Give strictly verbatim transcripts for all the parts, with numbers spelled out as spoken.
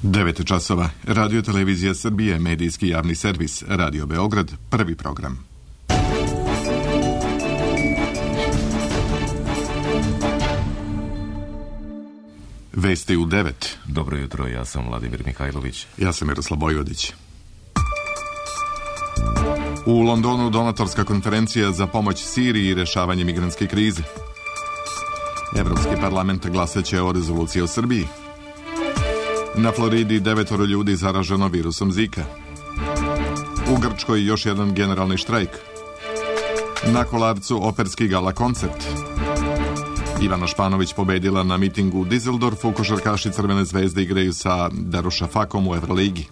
devet časova. Radio Televizija Srbije, medijski javni servis, Radio Beograd, prvi program. Vesti u devet. Dobro jutro, ja sam Vladimir Mihajlović. Ja sam Miroslav Bojvodić. U Londonu donatorska konferencija za pomoć Siriji i rešavanje migrantske krize. Evropski parlament glasaće o rezoluciji o Srbiji. Na Floridi devetoro ljudi zaraženo virusom Zika. U Grčkoj još jedan generalni štrajk. Na Kolarcu operski gala koncert. Ivana Španović pobedila na mitingu u Dizeldorfu, košarkaši Crvene zvezde igraju sa Darušafakom u Evroligi.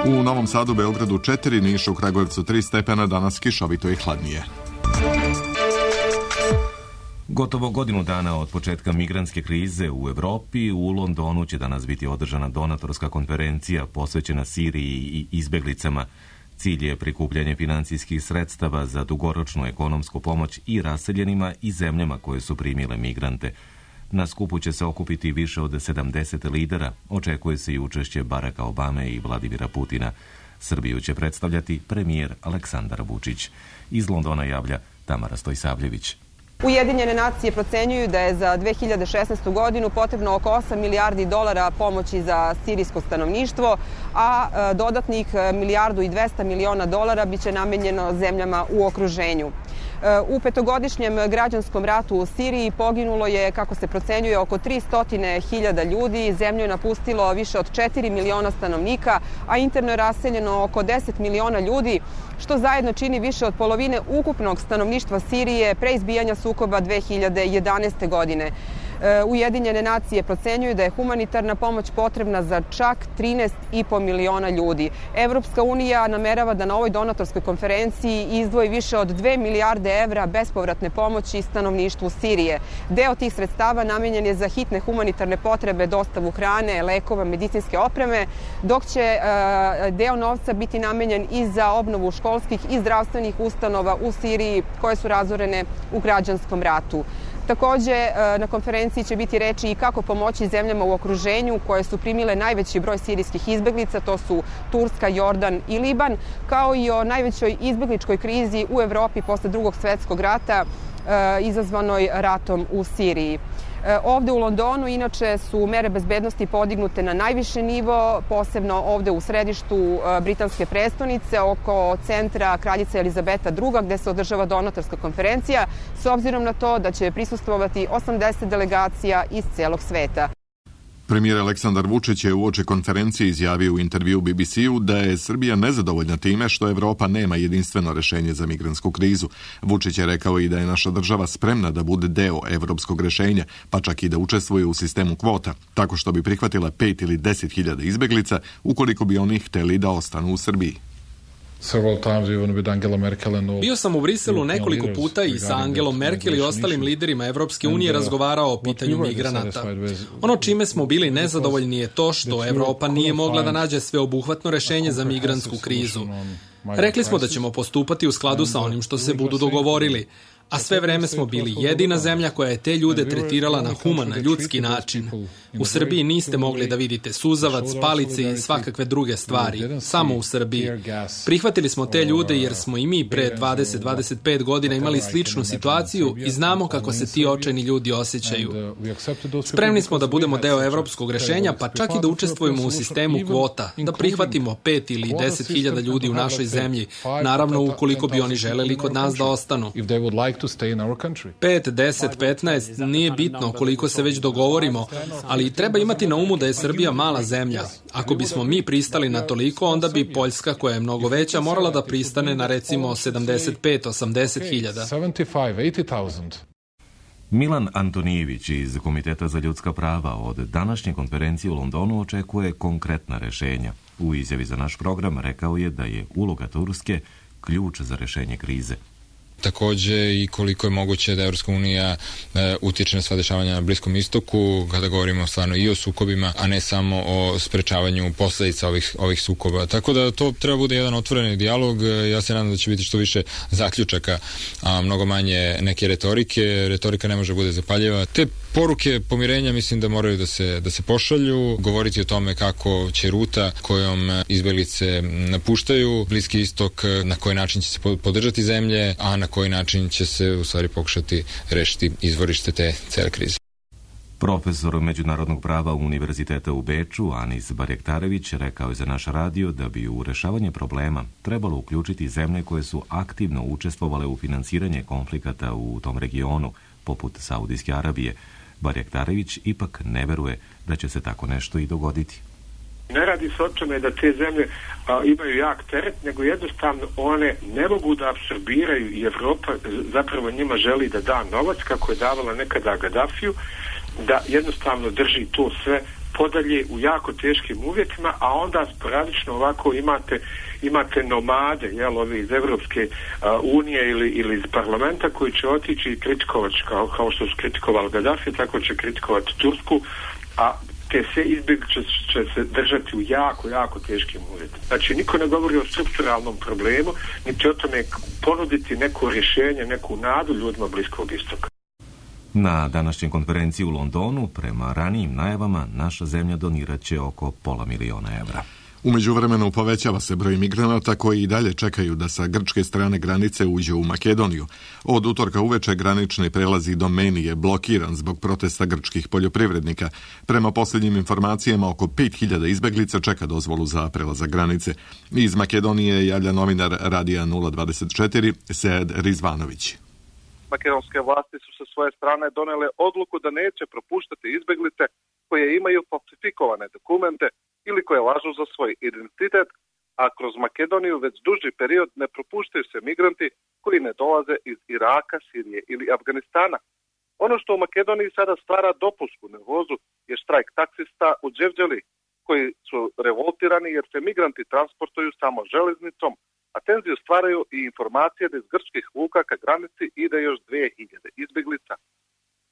U Novom Sadu, Beogradu četiri, Nišu, Kragujevcu tri stepena, danas kišovito i hladnije. Gotovo godinu dana od početka migrantske krize u Evropi, u Londonu će danas biti održana donatorska konferencija posvećena Siriji i izbeglicama. Cilj je prikupljanje financijskih sredstava za dugoročnu ekonomsku pomoć i raseljenima i zemljama koje su primile migrante. Na skupu će se okupiti više od sedamdeset lidera, očekuje se i učešće Baracka Obame i Vladimira Putina. Srbiju će predstavljati premijer Aleksandar Vučić. Iz Londona javlja Tamara Stojsavljević. Ujedinjene nacije procenjuju da je za dve hiljade šesnaestu godinu potrebno oko osam milijardi dolara pomoći za sirijsko stanovništvo, a dodatnih milijardu i dvesta miliona dolara biće namenjeno zemljama u okruženju. U petogodišnjem građanskom ratu u Siriji poginulo je, kako se procenjuje, oko tristo hiljada ljudi, zemlju je napustilo više od četiri miliona stanovnika, a interno je raseljeno oko deset miliona ljudi, što zajedno čini više od polovine ukupnog stanovništva Sirije pre izbijanja sukoba dve hiljade jedanaeste. godine. Ujedinjene nacije procenjuju da je humanitarna pomoć potrebna za čak trinaest i po miliona ljudi. Evropska unija namerava da na ovoj donatorskoj konferenciji izdvoji više od dve milijarde evra bespovratne pomoći stanovništvu Sirije. Deo tih sredstava namenjen je za hitne humanitarne potrebe, dostavu hrane, lekova, medicinske opreme, dok će deo novca biti namenjen i za obnovu školskih i zdravstvenih ustanova u Siriji koje su razorene u građanskom ratu. Takođe, na konferenciji će biti reči i kako pomoći zemljama u okruženju koje su primile najveći broj sirijskih izbeglica, to su Turska, Jordan i Liban, kao i o najvećoj izbegličkoj krizi u Evropi posle Drugog svjetskog rata izazvanoj ratom u Siriji. Ovde u Londonu inače su mere bezbednosti podignute na najviši nivo, posebno ovde u središtu britanske prestonice, oko centra Kraljice Elizabeta druga, gde se održava donatorska konferencija, s obzirom na to da će prisustvovati osamdeset delegacija iz celog sveta. Premijer Aleksandar Vučić je uoči konferencije izjavio u intervju B B C-u da je Srbija nezadovoljna time što Evropa nema jedinstveno rešenje za migrantsku krizu. Vučić je rekao i da je naša država spremna da bude deo evropskog rešenja, pa čak i da učestvuje u sistemu kvota, tako što bi prihvatila pet ili deset hiljada izbeglica ukoliko bi oni hteli da ostanu u Srbiji. Bio sam u Briselu nekoliko puta i sa Angelom Merkel i ostalim liderima Evropske unije razgovarao o pitanju migranata. Ono čime smo bili nezadovoljni je to što Evropa nije mogla da nađe sveobuhvatno rešenje za migrantsku krizu. Rekli smo da ćemo postupati u skladu sa onim što se budu dogovorili, a sve vreme smo bili jedina zemlja koja je te ljude tretirala na human, ljudski način. U Srbiji niste mogli da vidite suzavac, palice i svakakve druge stvari, samo u Srbiji. Prihvatili smo te ljude jer smo i mi pre dvadeset do dvadeset pet godina imali sličnu situaciju i znamo kako se ti očajni ljudi osjećaju. Spremni smo da budemo deo evropskog rešenja, pa čak i da učestvujemo u sistemu kvota, da prihvatimo pet ili deset hiljada ljudi u našoj zemlji, naravno ukoliko bi oni želeli kod nas da ostanu. pet, deset, petnaest, nije bitno koliko se već dogovorimo, ali treba imati na umu da je Srbija mala zemlja. Ako bismo mi pristali na toliko, onda bi Poljska, koja je mnogo veća, morala da pristane na recimo sedamdeset pet do osamdeset hiljada. Milan Antonijević iz Komiteta za ljudska prava od današnje konferencije u Londonu očekuje konkretna rešenja. U izjavi za naš program rekao je da je uloga Turske ključ za rešenje krize. Takođe i koliko je moguće da Evropska unija e, utiče na sva dešavanja na Bliskom istoku, kada govorimo stvarno i o sukobima, a ne samo o sprečavanju posledica ovih, ovih sukoba. Tako da to treba bude jedan otvoreni dijalog. Ja se nadam da će biti što više zaključaka, a mnogo manje neke retorike. Retorika ne može bude zapaljiva. Te Poruke pomirenja mislim da moraju da se, da se pošalju, govoriti o tome kako će ruta kojom izbeglice napuštaju Bliski istok, na koji način će se podržati zemlje, a na koji način će se u stvari pokušati rešiti izvorište te cele krize. Profesor međunarodnog prava Univerziteta u Beču, Anis Barjektarević, rekao je za naš radio da bi u rešavanje problema trebalo uključiti zemlje koje su aktivno učestvovale u finansiranje konflikata u tom regionu, poput Saudijske Arabije. Barjektarević ipak ne veruje da će se tako nešto i dogoditi. Ne radi se o tome da te zemlje a, imaju jak teret, nego jednostavno one ne mogu da apsorbiraju i Evropa zapravo njima želi da da novac, kako je davala nekada Gaddafiju, da jednostavno drži to sve podalje u jako teškim uvjetima, a onda sporadično ovako imate imate nomade, jel, ovi iz Evropske a, unije ili, ili iz parlamenta koji će otići i kritikovati, kao, kao što su kritikovali Gaddafi, tako će kritikovati Tursku, a te sve izbjeglice će, će se držati u jako, jako teškim uvjetima. Znači, niko ne govori o strukturalnom problemu, niti o tome ponuditi neko rješenje, neku nadu ljudima Bliskog istoka. Na današnjoj konferenciji u Londonu, prema ranijim najavama, naša zemlja donirat će oko pola miliona evra. U međuvremenu povećava se broj migranata koji i dalje čekaju da sa grčke strane granice uđe u Makedoniju. Od utorka uveče granični prelaz do Meni je blokiran zbog protesta grčkih poljoprivrednika. Prema posljednjim informacijama, oko pet hiljada izbeglica čeka dozvolu za prelazak granice. Iz Makedonije javlja novinar Radija nula dvadeset četiri Sead Rizvanović. Makedonske vlasti su sa svoje strane donele odluku da neće propuštati izbeglice koje imaju falsifikovane dokumente ili koje lažu za svoj identitet, a kroz Makedoniju već duži period ne propuštaju se migranti koji ne dolaze iz Iraka, Sirije ili Afganistana. Ono što u Makedoniji sada stvara dopusku nervozu je štrajk taksista u Đevđeli, koji su revoltirani jer se migranti transportuju samo železnicom, a tenziju stvaraju i informacije da iz grčkih luka ka granici ide još dvije hiljade izbeglica.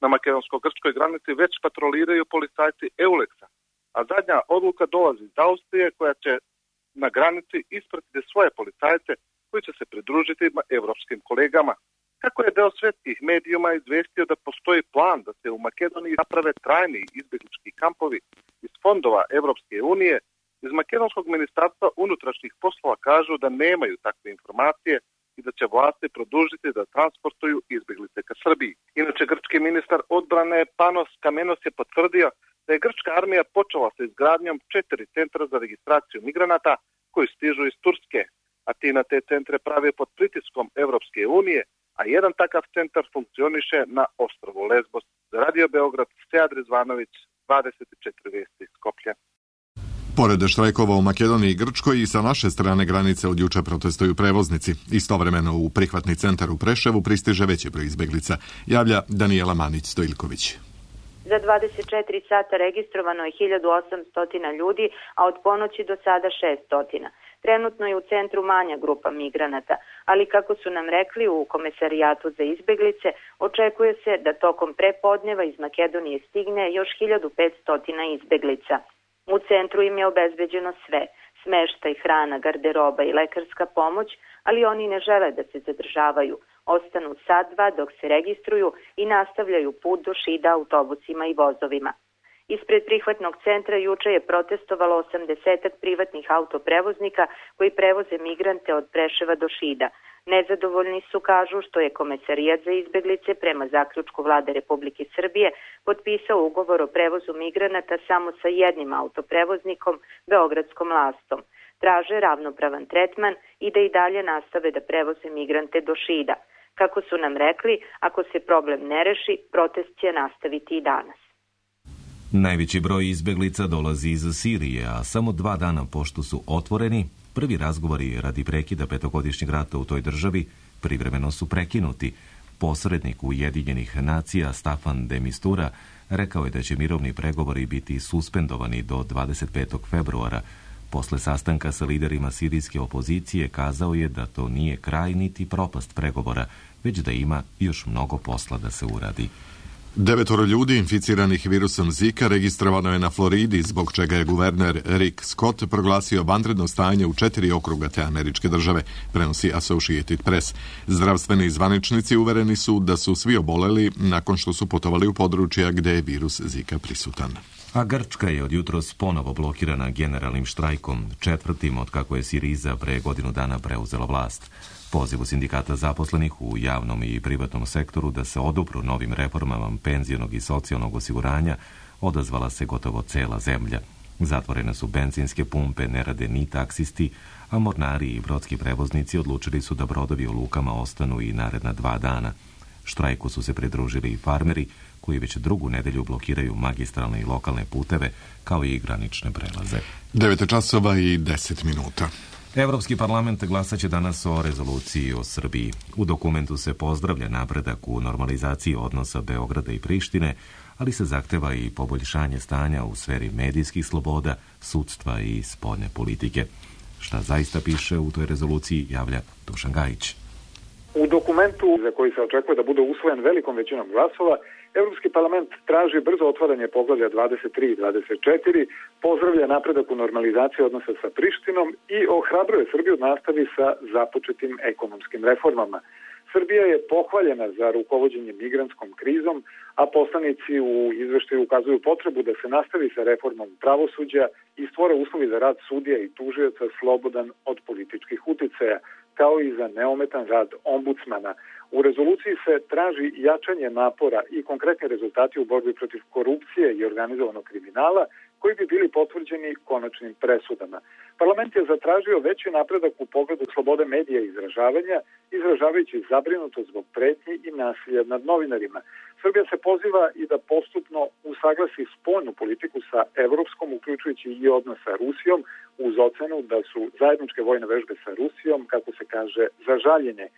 Na makedonsko-grčkoj granici već patroliraju policajci Euleksa, a zadnja odluka dolazi iz Austrije koja će na granici ispratiti svoje policajce koji će se pridružiti evropskim kolegama. Kako je deo svetskih medijuma izvestio da postoji plan da se u Makedoniji naprave trajni izbeglički kampovi iz fondova Evropske unije, iz Makedonskog ministarstva unutrašnjih poslova kažu da nemaju takve informacije i da će vlasti produžiti da transportuju izbeglice ka Srbiji. Inače, grčki ministar odbrane Panos Kamenos je potvrdio da je grčka armija počela sa izgradnjom četiri centra za registraciju migranata koji stižu iz Turske, a ti na te centre prave pod pritiskom Evropske unije, a jedan takav centar funkcioniše na ostrvu Lesbos. Za Radio Beograd, Sead Rizvanović, dvadeset četiri vesti iz Skoplja. Pored štrajkova u Makedoniji i Grčkoj i sa naše strane granice od juče protestuju prevoznici. Istovremeno u prihvatni centar u Preševu pristiže veći broj izbeglica, javlja Danijela Manić-Stojilković. Za dvadeset četiri sata registrovano je hiljadu osamsto ljudi, a od ponoći do sada šesto. Trenutno je u centru manja grupa migranata, ali kako su nam rekli u Komesarijatu za izbeglice, očekuje se da tokom prepodneva iz Makedonije stigne još hiljadu petsto izbeglica. U centru im je obezbeđeno sve, smeštaj, hrana, garderoba i lekarska pomoć, ali oni ne žele da se zadržavaju. Ostanu sat, dva dok se registruju i nastavljaju put do Šida autobusima i vozovima. Ispred prihvatnog centra juče je protestovalo osamdesetak privatnih autoprevoznika koji prevoze migrante od Preševa do Šida. Nezadovoljni su, kažu, što je Komesarijat za izbeglice prema zaključku Vlade Republike Srbije potpisao ugovor o prevozu migranata samo sa jednim autoprevoznikom, Beogradskom Lastom. Traže ravnopravan tretman i da i dalje nastave da prevoze migrante do Šida. Kako su nam rekli, ako se problem ne reši, protest će nastaviti i danas. Najveći broj izbeglica dolazi iz Sirije, a samo dva dana pošto su otvoreni, prvi razgovori radi prekida petogodišnjeg rata u toj državi privremeno su prekinuti. Posrednik Ujedinjenih nacija Staffan de Mistura rekao je da će mirovni pregovori biti suspendovani do dvadeset petog februara. Posle sastanka sa liderima sirijske opozicije kazao je da to nije kraj niti propast pregovora, već da ima još mnogo posla da se uradi. Devetoro ljudi inficiranih virusom Zika registrovano je na Floridi, zbog čega je guverner Rick Scott proglasio vanredno stanje u četiri okruga te američke države, prenosi Associated Press. Zdravstveni zvaničnici uvereni su da su svi oboleli nakon što su putovali u područja gde je virus Zika prisutan. A Grčka je od jutros ponovo blokirana generalnim štrajkom, četvrtim od kako je Siriza pre godinu dana preuzela vlast. Pozivu sindikata zaposlenih u javnom i privatnom sektoru da se odupru novim reformama penzionog i socijalnog osiguranja odazvala se gotovo cela zemlja. Zatvorene su benzinske pumpe, ne rade ni taksisti, a mornari i brodski prevoznici odlučili su da brodovi u lukama ostanu i naredna dva dana. Štrajku su se pridružili i farmeri, koji već drugu nedelju blokiraju magistralne i lokalne puteve, kao i granične prelaze. devet časova i deset minuta. Evropski parlament glasaće danas o rezoluciji o Srbiji. U dokumentu se pozdravlja napredak u normalizaciji odnosa Beograda i Prištine, ali se zahteva i poboljšanje stanja u sferi medijskih sloboda, sudstva i spoljne politike. Šta zaista piše u toj rezoluciji, javlja Dušan Gajić. U dokumentu, za koji se očekuje da bude usvojen velikom većinom glasova, Evropski parlament traži brzo otvaranje poglavlja dvadeset tri i dvadeset četiri, pozdravlja napredak u normalizaciji odnosa sa Prištinom i ohrabruje Srbiju da nastavi sa započetim ekonomskim reformama. Srbija je pohvaljena za rukovođenje migrantskom krizom, a poslanici u izveštaju ukazuju potrebu da se nastavi sa reformom pravosuđa i stvore uslovi za rad sudija i tužioca slobodan od političkih uticaja, kao i za neometan rad ombudsmana. U rezoluciji se traži jačanje napora i konkretni rezultati u borbi protiv korupcije i organizovanog kriminala, koji bi bili potvrđeni konačnim presudama. Parlament je zatražio veći napredak u pogledu slobode medija i izražavanja, izražavajući zabrinutost zbog pretnji i nasilja nad novinarima. Srbija se poziva i da postupno usaglasi spoljnu politiku sa evropskom, uključujući i odnos sa Rusijom, uz ocenu da su zajedničke vojne vežbe sa Rusijom, kako se kaže, za žaljenje.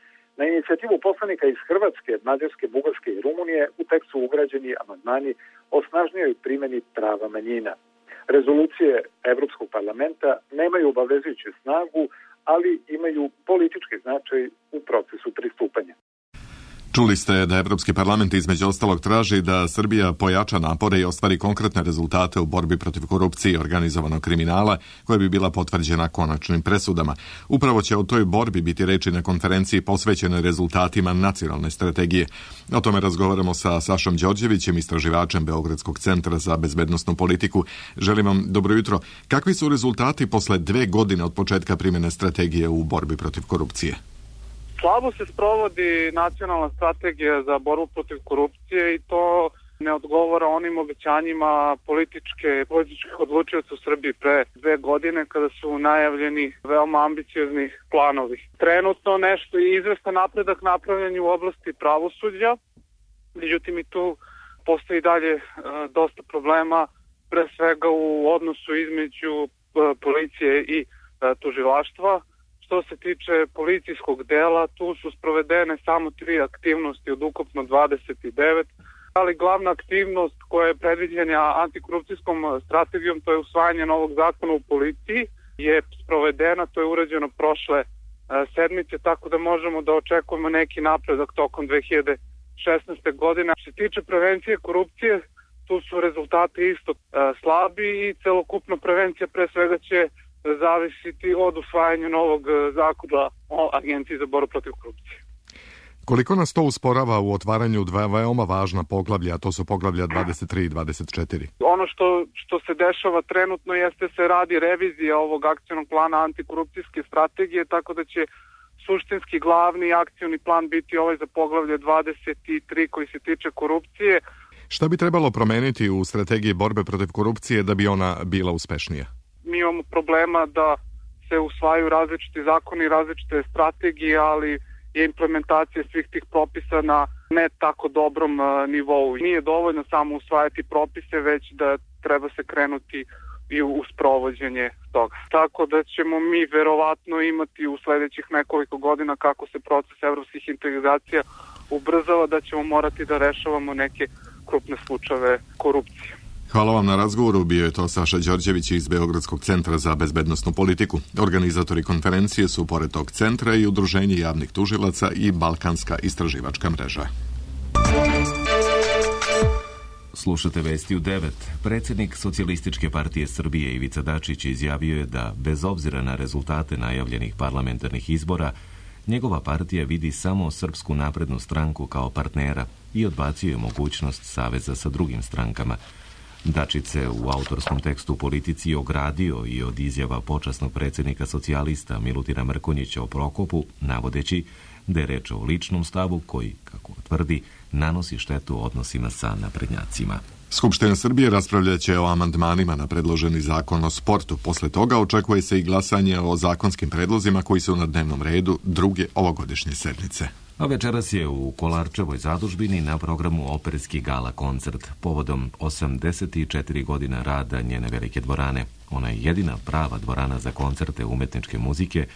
Na inicijativu poslanika iz Hrvatske, Mađarske, Bugarske i Rumunije u tekstu ugrađeni amandmani o snažnijoj primjeni prava manjina. Rezolucije Evropskog parlamenta nemaju obavezujuću snagu, ali imaju politički značaj u procesu pristupanja. Čuli ste da Evropski parlament između ostalog traži da Srbija pojača napore i ostvari konkretne rezultate u borbi protiv korupcije i organizovanog kriminala, koja bi bila potvrđena konačnim presudama. Upravo će o toj borbi biti reči na konferenciji posvećenoj rezultatima nacionalne strategije. O tome razgovaramo sa Sašom Đorđevićem, istraživačem Beogradskog centra za bezbednosnu politiku. Želim vam dobro jutro. Kakvi su rezultati posle dve godine od početka primjene strategije u borbi protiv korupcije? Slabo se sprovodi nacionalna strategija za borbu protiv korupcije i to ne odgovara onim obećanjima političke, političkih odlučioca u Srbiji pre dve godine kada su najavljeni veoma ambiciozni planovi. Trenutno nešto i izvestan napredak napravljen u oblasti pravosuđa, međutim i tu postoji dalje e, dosta problema, pre svega u odnosu između e, policije i e, tužilaštva. Što se tiče policijskog dela, tu su sprovedene samo tri aktivnosti od ukupno dvadeset devet, ali glavna aktivnost koja je predviđena antikorupcijskom strategijom, to je usvajanje novog zakona u policiji, je sprovedena, to je urađeno prošle sedmice, tako da možemo da očekujemo neki napredak tokom dve hiljade šesnaeste. godine. Što se tiče prevencije korupcije, tu su rezultati isto slabi i celokupna prevencija pre svega će zavisiti od usvajanja novog zakona o Agenciji za borbu protiv korupcije. Koliko nas to usporava u otvaranju dva veoma važna poglavlja, a to su poglavlja dvadeset tri i dvadeset četiri? Ono što, što se dešava trenutno jeste se radi revizija ovog akcionog plana antikorupcijske strategije, tako da će suštinski glavni akcioni plan biti ovaj za poglavlje dvadeset tri koji se tiče korupcije. Šta bi trebalo promeniti u strategiji borbe protiv korupcije da bi ona bila uspešnija? Mi imamo problema da se usvajaju različiti zakoni i različite strategije, ali je implementacija svih tih propisa na ne tako dobrom uh, nivou. Nije dovoljno samo usvajati propise, već da treba se krenuti i u, u sprovođenje toga. Tako da ćemo mi verovatno imati u sledećih nekoliko godina, kako se proces evropskih integracija ubrzava, da ćemo morati da rešavamo neke krupne slučajeve korupcije. Hvala vam na razgovoru. Bio je to Saša Đorđević iz Beogradskog centra za bezbednosnu politiku. Organizatori konferencije su pored tog centra i Udruženje javnih tužilaca i Balkanska istraživačka mreža. Slušate vesti u devet. Predsjednik Socijalističke partije Srbije Ivica Dačić izjavio je da, bez obzira na rezultate najavljenih parlamentarnih izbora, njegova partija vidi samo Srpsku naprednu stranku kao partnera i odbacio je mogućnost saveza sa drugim strankama. Dačić se u autorskom tekstu u Politici ogradio i od izjava počasnog predsjednika socijalista Milutina Mrkonjića o Prokopu, navodeći da je reč o ličnom stavu koji, kako tvrdi, nanosi štetu odnosima sa naprednjacima. Skupština Srbije raspravljaće o amandmanima na predloženi zakon o sportu. Posle toga očekuje se i glasanje o zakonskim predlozima koji su na dnevnom redu druge ovogodišnje sednice. A večeras je u Kolarčevoj zadužbini na programu operski gala koncert povodom osamdeset četiri godina rada njene velike dvorane. Ona je jedina prava dvorana za koncerte umetničke muzike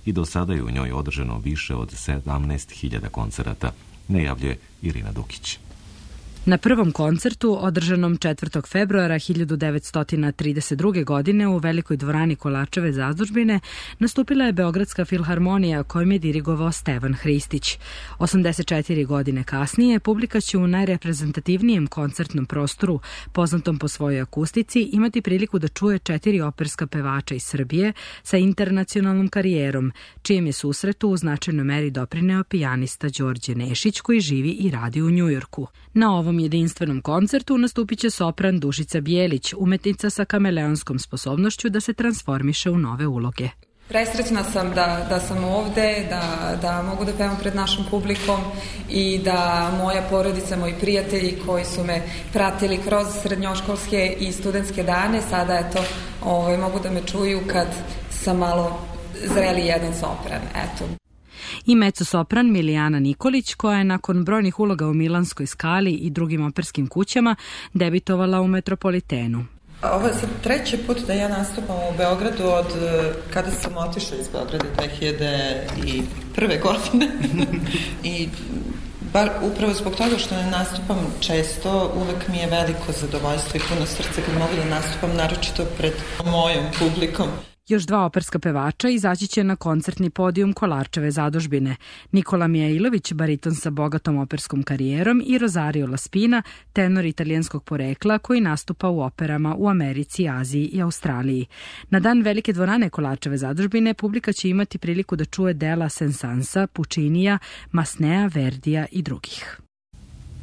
i do sada je u njoj održano više od sedamnaest hiljada koncerata, najavljuje Irina Dukić. Na prvom koncertu, održanom četvrtog februara hiljadu devetsto trideset druge. godine u velikoj dvorani Kolarčeve zadužbine, nastupila je Beogradska filharmonija kojom je dirigovao Stevan Hristić. osamdeset četiri godine kasnije, publika će u najreprezentativnijem koncertnom prostoru, poznatom po svojoj akustici, imati priliku da čuje četiri operska pevača iz Srbije sa internacionalnom karijerom, čijem je susretu u značajnoj meri doprineo pijanista Đorđe Nešić koji živi i radi u Njujorku. Na ovom jedinstvenom koncertu nastupit će sopran Dušica Bijelić, umetnica sa kameleonskom sposobnošću da se transformiše u nove uloge. Presrećna sam da, da sam ovde, da, da mogu da pevam pred našim publikom i da moja porodica, moji prijatelji koji su me pratili kroz srednjoškolske i studentske dane, sada eto, ovaj, mogu da me čuju kad sam malo zreli jedan sopran, eto. I mezzo-sopran Milijana Nikolić, koja je nakon brojnih uloga u Milanskoj Skali i drugim operskim kućama debitovala u Metropolitenu. Ovo je sad treći put da ja nastupam u Beogradu od kada sam otišla iz Beograda dve hiljade prve. godine. I bar upravo zbog toga što ne nastupam često, uvek mi je veliko zadovoljstvo i puno srce kad mogu da nastupam, naročito pred mojom publikom. Još dva operska pevača izaći će na koncertni podijum Kolarčeve zadužbine. Nikola Mijailović, bariton sa bogatom operskom karijerom, i Rosario Laspina, tenor italijanskog porekla koji nastupa u operama u Americi, Aziji i Australiji. Na dan velike dvorane Kolarčeve zadužbine publika će imati priliku da čuje dela Sensansa, Puccinija, Masnea, Verdija i drugih.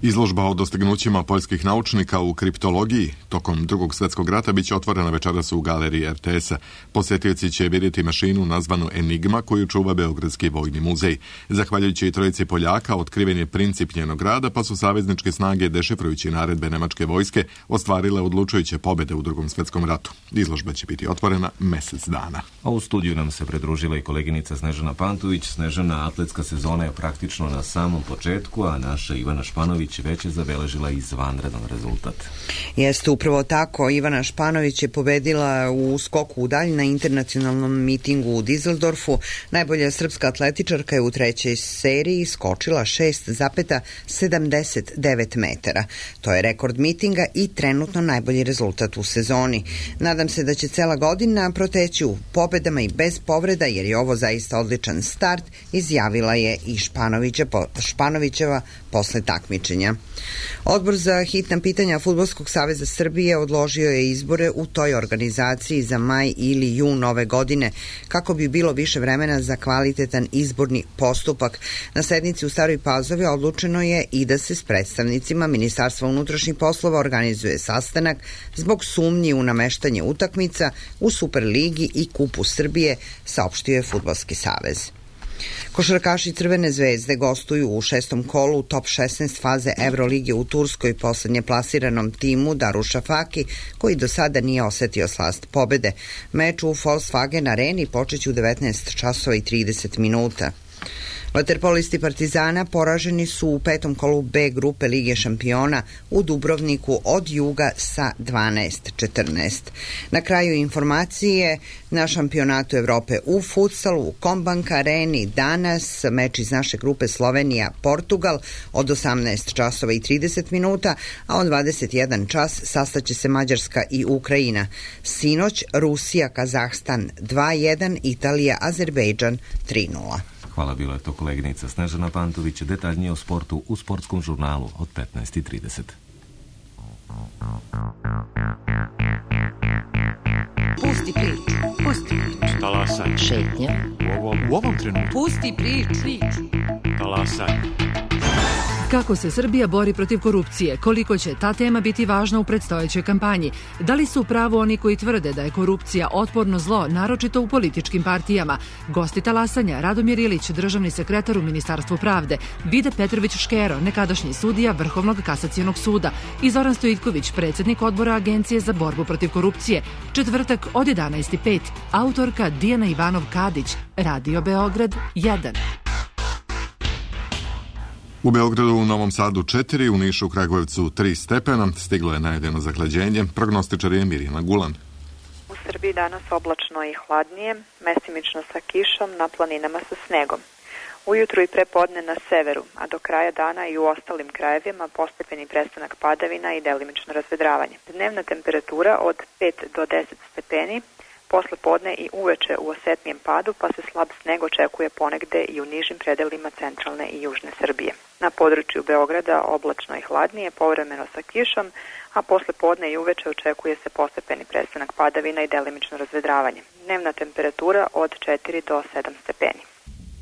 Izložba o dostignućima poljskih naučnika u kriptologiji tokom drugog svjetskog rata biće otvorena večeras u galeriji er te esa. Posjetioci će vidjeti mašinu nazvanu Enigma koju čuva Beogradski vojni muzej. Zahvaljujući trojici Poljaka otkriven je princip njenog rada, pa su savezničke snage, dešifrujući naredbe nemačke vojske, ostvarile odlučujuće pobjede u drugom svjetskom ratu. Izložba će biti otvorena mjesec dana. A u studiju nam se pridružila i koleginica Snežana Pantović. Snežana, atletska sezona je praktično na samom početku, a naša Ivana Španović već je zabeležila izvanredan rezultat. Jeste upravo tako. Ivana Španović je pobedila u skoku u dalj na internacionalnom mitingu u Dizeldorfu. Najbolja srpska atletičarka je u trećoj seriji skočila šest zarez sedamdeset devet metara. To je rekord mitinga i trenutno najbolji rezultat u sezoni. Nadam se da će cela godina proteći u pobedama i bez povreda, jer je ovo zaista odličan start, izjavila je i Španovićeva posle takmičenja. Odbor za hitna pitanja Fudbalskog saveza Srbije odložio je izbore u toj organizaciji za maj ili jun ove godine kako bi bilo više vremena za kvalitetan izborni postupak. Na sednici u Staroj Pazovi odlučeno je i da se s predstavnicima Ministarstva unutrašnjih poslova organizuje sastanak zbog sumnji u nameštanje utakmica u Superligi i Kupu Srbije, saopštio je Fudbalski savez. Košarkaši Crvene zvezde gostuju u šestom kolu top šesnaest faze Evrolige u Turskoj poslednje plasiranom timu Darušafaki, koji do sada nije osetio slast pobede. Meč u Volkswagen areni počeće u devetnaest časova i trideset minuta. Vaterpolisti Partizana poraženi su u petom kolu B grupe Lige šampiona u Dubrovniku od Juga sa dvanaest četrnaest. Na kraju informacije na šampionatu Evrope u futsalu u Kombank areni danas meč iz naše grupe Slovenija-Portugal od osamnaest časova i trideset minuta, a od dvadeset jedan čas sastaće se Mađarska i Ukrajina. Sinoć Rusija-Kazahstan dva jedan, Italija-Azerbejdžan tri nula. Hvala, bila je to koleginica Snežana Pantović. Detaljnije o sportu u sportskom žurnalu od petnaest i trideset. Šetnja. U ovom, u ovom trenutku. Pusti priču. Talasaj. Kako se Srbija bori protiv korupcije? Koliko će ta tema biti važna u predstojećoj kampanji? Da li su u pravu oni koji tvrde da je korupcija otporno zlo, naročito u političkim partijama? Gosti talasanja, Radomir Ilić, državni sekretar u Ministarstvu pravde, Vide Petrović-Škero, nekadašnji sudija Vrhovnog kasacionog suda i Zoran Stojitković, predsjednik odbora Agencije za borbu protiv korupcije. Četvrtak od jedanaest i pet. Autorka Dijana Ivanov-Kadić, Radio Beograd jedan. U Beogradu, u Novom Sadu četiri, u Nišu, Kragujevcu tri stepena, stiglo je najdeno zahlađenje, prognostičar je Mirjana Gulan. U Srbiji danas oblačno i hladnije, mestimično sa kišom, na planinama sa snegom. Ujutru i prepodne na severu, a do kraja dana i u ostalim krajevima postepeni prestanak padavina i delimično razvedravanje. Dnevna temperatura od pet do deset stepeni, posle podne i uveče u osetnijem padu, pa se slab sneg očekuje ponegde i u nižim predelima centralne i južne Srbije. Na području Beograda oblačno i hladnije, povremeno sa kišom, a posle podne i uveče očekuje se postepeni prestanak padavina i delimično razvedravanje. Dnevna temperatura od četiri do sedam stepeni.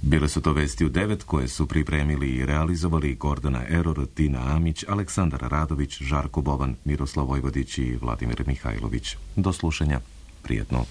Bile su to vesti u devet koje su pripremili i realizovali Gordana Eror, Tina Amić, Aleksandar Radović, Žarko Boban, Miroslav Vojvodić i Vladimir Mihajlović. Do slušanja. Prijetno.